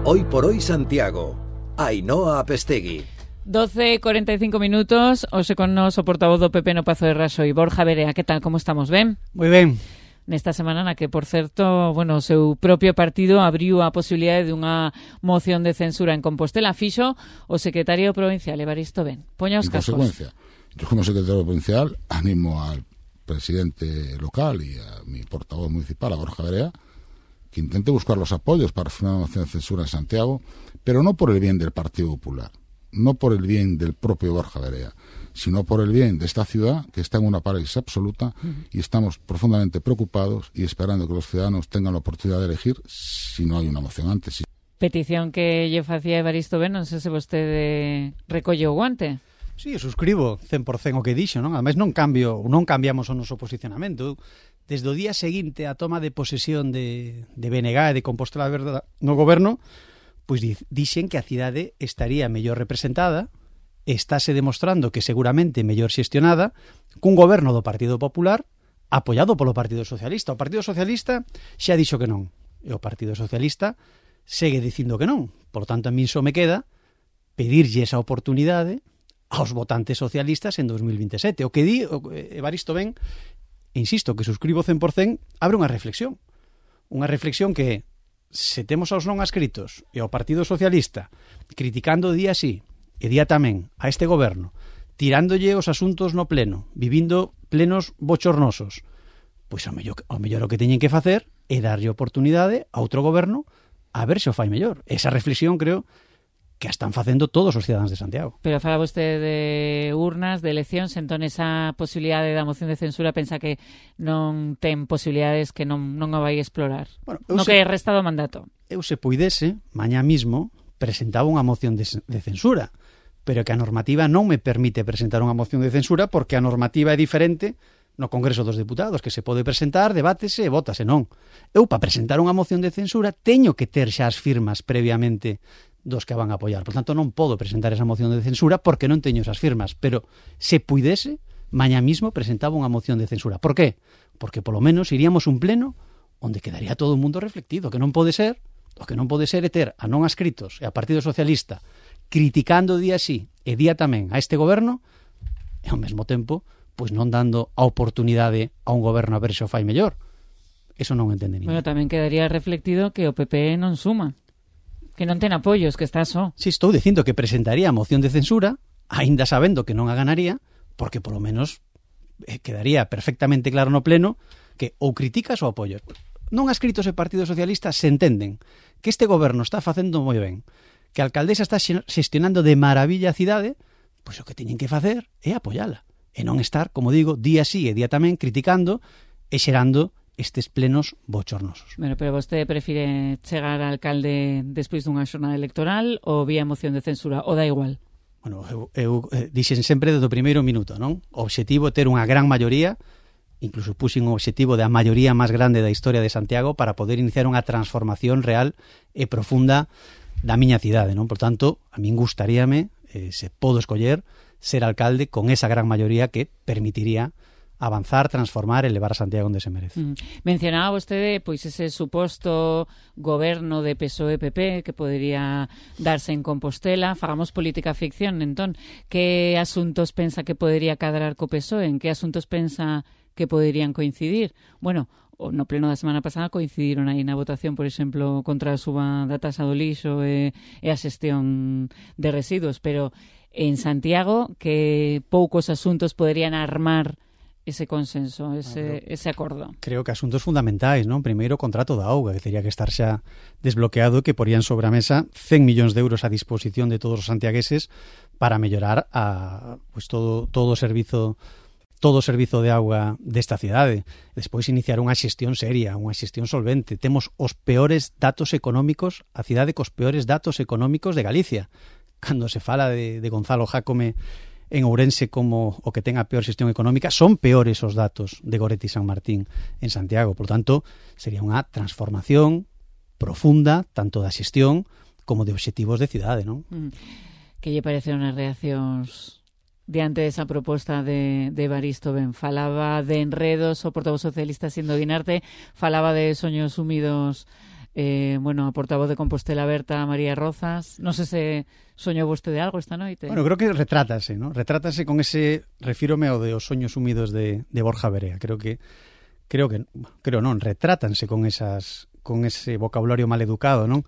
Hoy por hoy Santiago. Ainhoa Apestegui. 12:45 minutos, hoxe con nos o portavoz do PP no Pazo de Raxoi, Borja Verea. Que tal, como estamos, ben? Moi ben. Nesta semana na que, por certo, o seu propio partido abriu a posibilidade de unha moción de censura en Compostela. Fixo o secretario provincial, Evaristo Ben. Poña os cascos. En consecuencia, yo como secretario provincial animo al presidente local y a mi portavoz municipal, a Borja Verea, que intente buscar los apoyos para firmar una moción de censura en Santiago, pero no por el bien del Partido Popular, no por el bien del propio Borja Verea, sino por el bien de esta ciudad, que está en una parálisis absoluta, y estamos profundamente preocupados y esperando que los ciudadanos tengan la oportunidad de elegir si no hay una moción antes. Petición que lle facía Evaristo Ben, non sei se vostede recolle o guante. Sí, suscribo 100% o que dixo, non? Ademais non cambiamos o noso posicionamento. Desde o día seguinte á toma de posesión de BNG e de Compostela Verde no goberno, pois dixen que a cidade estaría mellor representada, estáse demostrando que seguramente mellor xestionada, cun goberno do Partido Popular apoiado polo Partido Socialista. O Partido Socialista xa dixo que non, e o Partido Socialista segue dicindo que non. Por tanto, a min só me queda pedirlle esa oportunidade aos votantes socialistas en 2027. O que di Evaristo Ben, insisto, que suscribo 100%, abre unha reflexión. Unha reflexión que, se temos aos non adscritos e ao Partido Socialista criticando día sí e día tamén a este goberno, tirándolle os asuntos no pleno, vivindo plenos bochornosos, pois ao mellor o que teñen que facer é darlle oportunidade a outro goberno a ver se o fai mellor. Esa reflexión creo que a están facendo todos os cidadáns de Santiago. Pero fala vostede de urnas, de eleccións, entón esa posibilidade da moción de censura pensa que non ten posibilidades, que non a vai explorar. Bueno, no que resta do mandato. Eu se puidese, mañá mismo, presentaba unha moción de censura, pero que a normativa non me permite presentar unha moción de censura porque a normativa é diferente no Congreso dos Deputados, que se pode presentar, debátese e vótase, non. Eu, para presentar unha moción de censura, teño que ter xa as firmas previamente dos que van a apoiar. Por tanto, non podo presentar esa moción de censura porque non teño esas firmas, pero se puidese, mañá mismo presentaba unha moción de censura. Por qué? Porque polo menos iríamos un pleno onde quedaría todo o mundo reflectido, que non pode ser, o que non pode ser é ter a non adscritos e a Partido Socialista criticando día sí e día tamén a este goberno e ao mesmo tempo pois non dando a oportunidade a un goberno a ver se o fai mellor. Eso non entende ninguén. Bueno, tamén quedaría reflectido que o PP non suma, que non ten apoios, que está só. Si, estou dicindo que presentaría a moción de censura, aínda sabendo que non a ganaría, porque polo menos quedaría perfectamente claro no pleno que ou criticas ou apoias. Non adscritos e Partido Socialista se entenden que este goberno está facendo moi ben, que a alcaldesa está xestionando de maravilla a cidade, pois o que teñen que facer é apoiala, e non estar, como digo, día sí e día tamén criticando e xerando estes plenos bochornosos. Bueno, pero vostede prefire chegar a alcalde despois dunha xornada electoral ou vía moción de censura, ou dá igual? Bueno, eu dixen sempre desde o primeiro minuto, non? O obxectivo é ter unha gran maioría, incluso puxen o obxectivo da maioría máis grande da historia de Santiago para poder iniciar unha transformación real e profunda da miña cidade, non? Por tanto, a min gustaríame, se podo escoller, ser alcalde con esa gran maioría que permitiría avanzar, transformar e levar a Santiago onde se merece. Mencionaba vostede pois ese suposto goberno de PSOE-PP que podería darse en Compostela. Fagamos política ficción, entón, que asuntos pensa que podería cadrar co PSOE? En que asuntos pensa que poderían coincidir? Bueno, no pleno da semana pasada coincidiron aí na votación, por exemplo, contra a suba da tasa do lixo e a xestión de residuos, pero en Santiago que poucos asuntos poderían armar ese consenso, ese acordo. Creo que asuntos fundamentais, non? Primeiro, o contrato da auga, que teria que estar xa desbloqueado, que porían sobre a mesa 100 millóns de euros a disposición de todos os santiagueses para mellorar pues todo o servizo de auga desta cidade. Despois iniciar unha xestión seria, unha xestión solvente. Temos os peores datos económicos, a cidade cos peores datos económicos de Galicia. Cando se fala de Gonzalo Jácome en Ourense como o que ten a peor xestión económica, son peores os datos de Goretti San Martín en Santiago. Por tanto, sería unha transformación profunda, tanto da xestión como de obxectivos de cidade, non? Que lle pareceron as reaccións diante desa proposta de Evaristo Ben? Falaba de enredos o portavoz socialista Sindo Guinarte, falaba de soños húmidos bueno, a portavoz de Compostela Aberta, María Rozas. Non sei se soñou vostede algo esta noite. Bueno, creo que retrátase, ¿no? Retrátase con ese, refírome ao de os soños húmidos de Borja Verea. Creo non, retrátanse con ese vocabulario maleducado, non?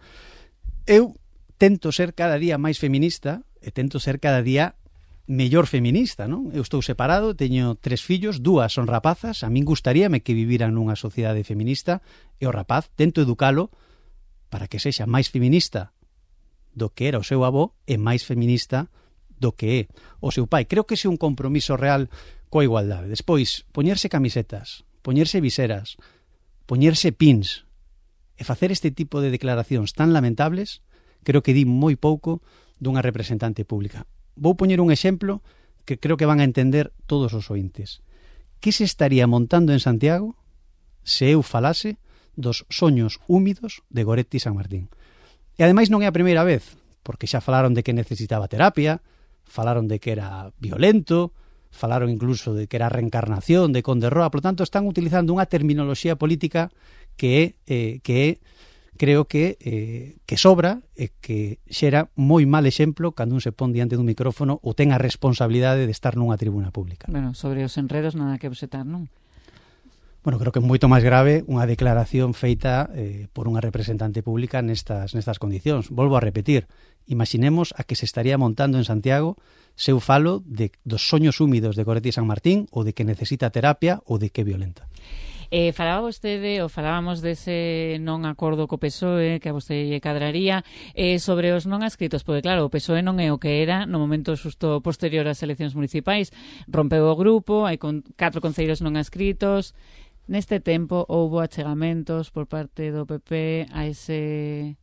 Eu tento ser cada día máis feminista e tento ser cada día mellor feminista, non? Eu estou separado, teño 3 fillos, 2 son rapazas, a min gustaríame que viviran nunha sociedade feminista e o rapaz tento educalo para que sexa máis feminista do que era o seu avó e máis feminista do que é o seu pai. Creo que ese é un compromiso real coa igualdade. Despois, poñerse camisetas, poñerse viseras, poñerse pins e facer este tipo de declaracións tan lamentables, creo que di moi pouco dunha representante pública. Vou poñer un exemplo que creo que van a entender todos os ointes. Que se estaría montando en Santiago se eu falase dos soños húmidos de Goretti San Martín? E ademais non é a primeira vez, porque xa falaron de que necesitaba terapia, falaron de que era violento, falaron incluso de que era reencarnación de Conde Roa, por lo tanto están utilizando unha terminoloxía política que é creo que sobra e que xera moi mal exemplo cando un se pon diante dun micrófono ou ten a responsabilidade de estar nunha tribuna pública. Bueno, sobre os enredos nada que obxetar, non? Bueno, creo que é moito máis grave unha declaración feita por unha representante pública nestas condicións. Volvo a repetir, imaginemos a que se estaría montando en Santiago se eu falo dos soños húmidos de Goretti San Martín ou de que necesita terapia ou de que é violenta. Falaba vostede, ou falábamos dese non acordo co PSOE, que a vostede lle cadraría, sobre os non adscritos, porque claro, o PSOE non é o que era no momento xusto posterior ás eleccións municipais, rompeu o grupo, hai 4 concellos non adscritos, neste tempo houbo achegamentos por parte do PP a ese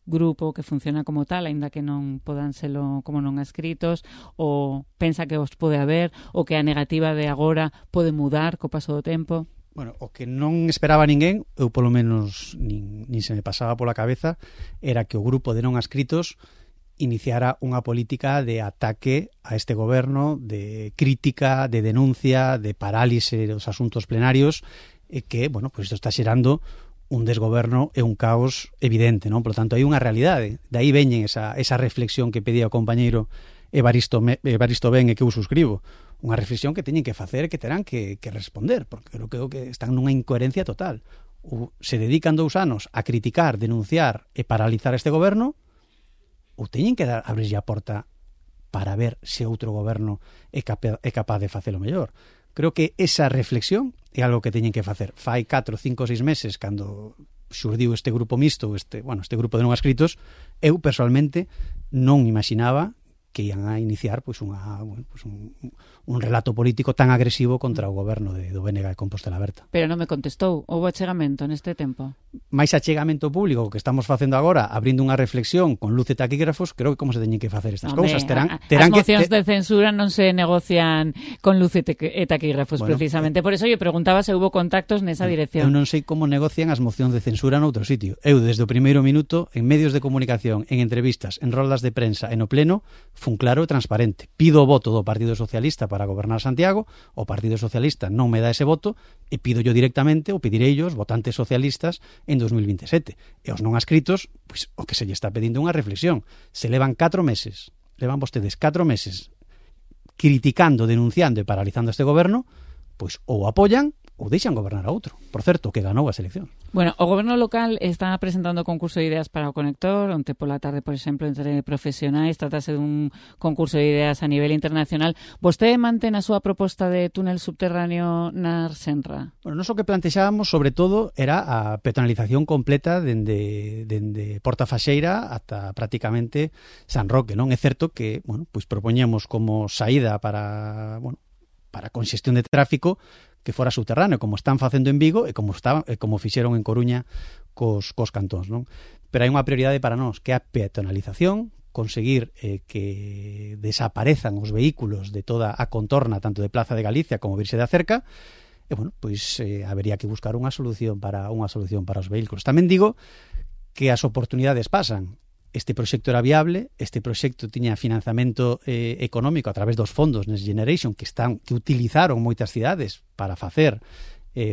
grupo que funciona como tal, aínda que non podan selo como non adscritos, ou pensa que os pode haber, ou que a negativa de agora pode mudar co paso do tempo? Bueno, o que non esperaba ninguén, eu polo menos nin se me pasaba pola cabeza, era que o grupo de non adscritos iniciara unha política de ataque a este goberno, de crítica, de denuncia, de parálise dos asuntos plenarios, e que, bueno, pues isto está xerando un desgoberno e un caos evidente, non? Por lo tanto, hai unha realidade. De aí veñen esa reflexión que pedía o compañeiro Evaristo Ben e que eu suscribo. Unha reflexión que teñen que facer e que terán que responder, porque creo que están nunha incoherencia total. Ou se dedican 2 anos a criticar, denunciar e paralizar este goberno, ou teñen que abrirlle a porta para ver se outro goberno é capaz de facelo mellor. Creo que esa reflexión é algo que teñen que facer. Fai 4, 5, 6 meses, cando xurdiu este grupo mixto, este grupo de non adscritos, eu personalmente non imaginaba que ian a iniciar un relato político tan agresivo contra o goberno do BNG de Compostela Aberta. Pero non me contestou. Houve achegamento neste tempo? máis achegamento público que estamos facendo agora, abrindo unha reflexión con luz e taquígrafos, creo que como se teñen que facer estas cousas. As mocións de censura non se negocian con luz e taquígrafos, bueno, precisamente. Por eso eu preguntaba se hubo contactos nesa dirección. Eu non sei como negocian as mocións de censura noutro sitio. Eu, desde o primeiro minuto, en medios de comunicación, en entrevistas, en roldas de prensa e no pleno, fun claro e transparente. Pido o voto do Partido Socialista para gobernar Santiago, o Partido Socialista non me dá ese voto, e pido yo directamente, ou pedirei os votantes socialistas en 2027. E os non adscritos, pois, o que se lle está pedindo unha reflexión. Se levan 4 meses, levan vostedes 4 meses criticando, denunciando e paralizando este goberno, pois ou apoian ou deixan gobernar a outro. Por certo, que ganou as eleccións. Bueno, o goberno local está presentando concurso de ideas para o conector, onte pola tarde, por exemplo, entre profesionais, tratase dun concurso de ideas a nivel internacional. Vostede mantén a súa proposta de túnel subterráneo na Arsenra? Bueno, nos o que plantexábamos, sobre todo, era a peatonalización completa dende Porta Faxeira ata prácticamente San Roque, non? É certo que, bueno, pois propoñemos como saída para conxestión de tráfico que fora subterráneo, como están facendo en Vigo e como fixeron en Coruña cos cantóns, non? Pero hai unha prioridade para nós, que é a peatonalización, conseguir que desaparezan os vehículos de toda a contorna, tanto de Plaza de Galicia como Virxe da Cerca, e, bueno, pois habería que buscar unha solución para os vehículos. Tamén digo que as oportunidades pasan. Este proxecto era viable, este proxecto tiña financiamento económico a través dos fondos Next Generation que utilizaron moitas cidades para facer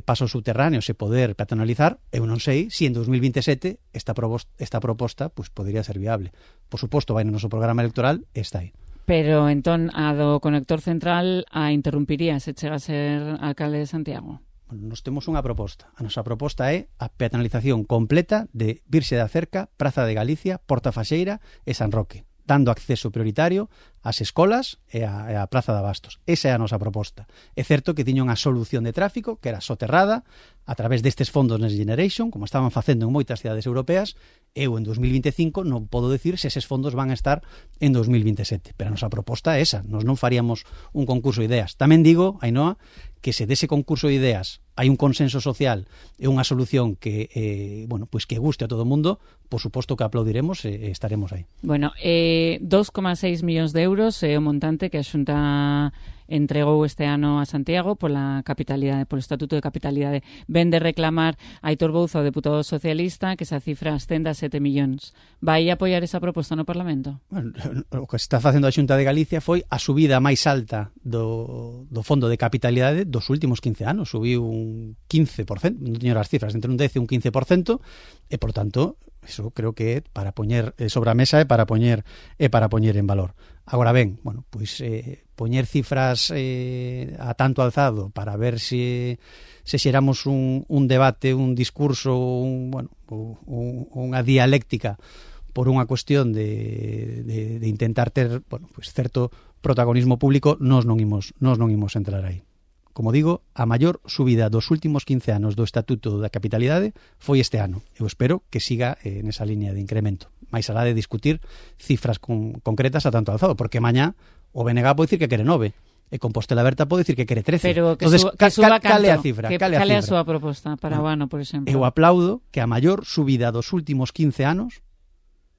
pasos subterráneos e poder peatonalizar, eu non sei se en 2027 esta proposta pues, podería ser viable. Por suposto, vai no noso programa electoral e está aí. Pero entón a do conector central a interrumpiría se chega a ser alcalde de Santiago? Bueno, nos temos unha proposta. A nosa proposta é a peatonalización completa de Virxe da Cerca, Praza de Galicia, Porta Faxeira e San Roque, dando acceso prioritario ás escolas e a Praza de Abastos. Esa é a nosa proposta. É certo que tiña unha solución de tráfico que era soterrada a través destes fondos Next Generation, como estaban facendo en moitas cidades europeas. Eu en 2025 non podo decir se eses fondos van a estar en 2027, pero a nosa proposta é esa. Nos non faríamos un concurso de ideas. Tamén digo, Ainhoa, que se dese concurso de ideas hai un consenso social e unha solución que bueno, pues que guste a todo o mundo, por suposto que aplaudiremos e estaremos aí. Bueno, 2,6 millóns de euros é o montante que a Xunta entregou este ano a Santiago pola capitalidade, polo Estatuto de Capitalidade. Ven de reclamar Aitor Bouza, o deputado socialista, que esa cifra ascenda a 7 millóns. Vai apoiar esa proposta no Parlamento? Bueno, o que está facendo a Xunta de Galicia foi a subida máis alta do Fondo de Capitalidade dos últimos 15 anos. Subiu un 15%, non teño as cifras, entre un 10 e un 15%, e, por tanto, eso creo que é para poñer sobre a mesa e para poñer en valor. Agora ben, bueno, pois poñer cifras a tanto alzado para ver se xeramos un debate, un discurso, unha dialéctica por unha cuestión de intentar ter, bueno, pois certo protagonismo público, nós non imos entrar aí. Como digo, a maior subida dos últimos 15 anos do Estatuto da Capitalidade foi este ano. Eu espero que siga nesa línea de incremento. Mais alá de discutir cifras concretas a tanto alzado, porque mañá o BNG pode dicir que quere 9 e Compostela Aberta pode dicir que quere 13. Pero que, entonces, suba canto, cale a cifra. Cale a súa proposta para o ano, por exemplo. Eu aplaudo que a maior subida dos últimos 15 anos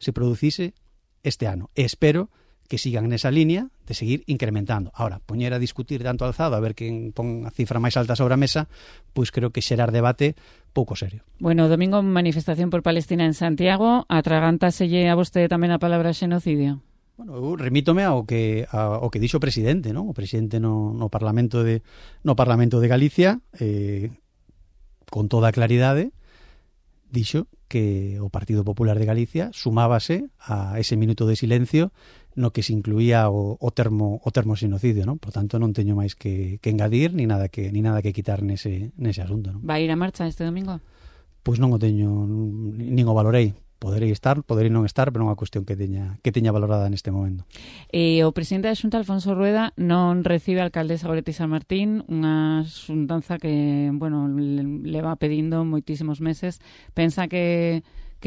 se producise este ano. E espero que sigan nesa línea de seguir incrementando. Ahora, poñer a discutir tanto alzado a ver quen pon a cifra máis alta sobre a mesa, pois creo que xerar debate pouco serio. Bueno, domingo manifestación por Palestina en Santiago, atragántaselle a vostede tamén a palabra xenocidio? Bueno, eu remítome ao que dixo o presidente, non? O presidente no Parlamento de Galicia, con toda claridade, dixo que o Partido Popular de Galicia sumábase a ese minuto de silencio no que se incluía o termo xenocidio, non? Por tanto, non teño máis que engadir ni nada que quitar nese asunto, non? Vai ir a marcha este domingo? Pois non o teño, nin o valorei. Poderei estar, poderei non estar, pero non é unha cuestión que teña valorada neste momento. E o presidente da Xunta, Alfonso Rueda, non recibe a alcaldesa Goretti San Martín, unha xuntanza que, bueno, le va pedindo moitísimos meses. Pensa que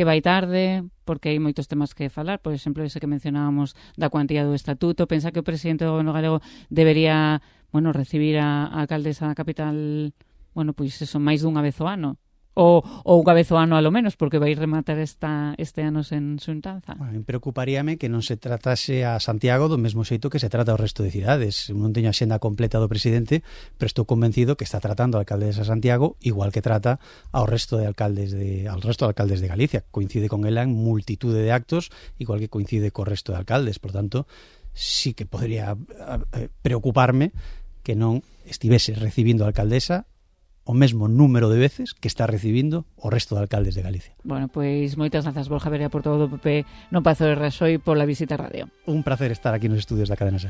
vai tarde, porque hai moitos temas que falar, por exemplo, ese que mencionábamos da cuantía do estatuto. Pensa que o presidente do goberno galego debería, bueno, recibir a alcaldesa da capital, bueno, pois eso, máis dunha vez ao ano. Ou unha vez ao ano a lo menos, porque vai rematar este ano sen xuntanza. Bueno, preocuparíame que non se tratase a Santiago do mesmo xeito que se trata ao resto de cidades. Non teño a xenda completa do presidente, pero estou convencido que está tratando a alcaldesa de Santiago igual que trata ao resto de alcaldes de Galicia. Coincide con ela en multitude de actos, igual que coincide co resto de alcaldes. Por tanto, sí que podría preocuparme que non estivese recibindo a alcaldesa o mesmo número de veces que está recibindo o resto de alcaldes de Galicia. Bueno, pois moitas grazas, Borja Verea, por todo o PP no Pazo de Raxoi, pola visita á radio. Un placer estar aquí nos estudios da Cadena SER.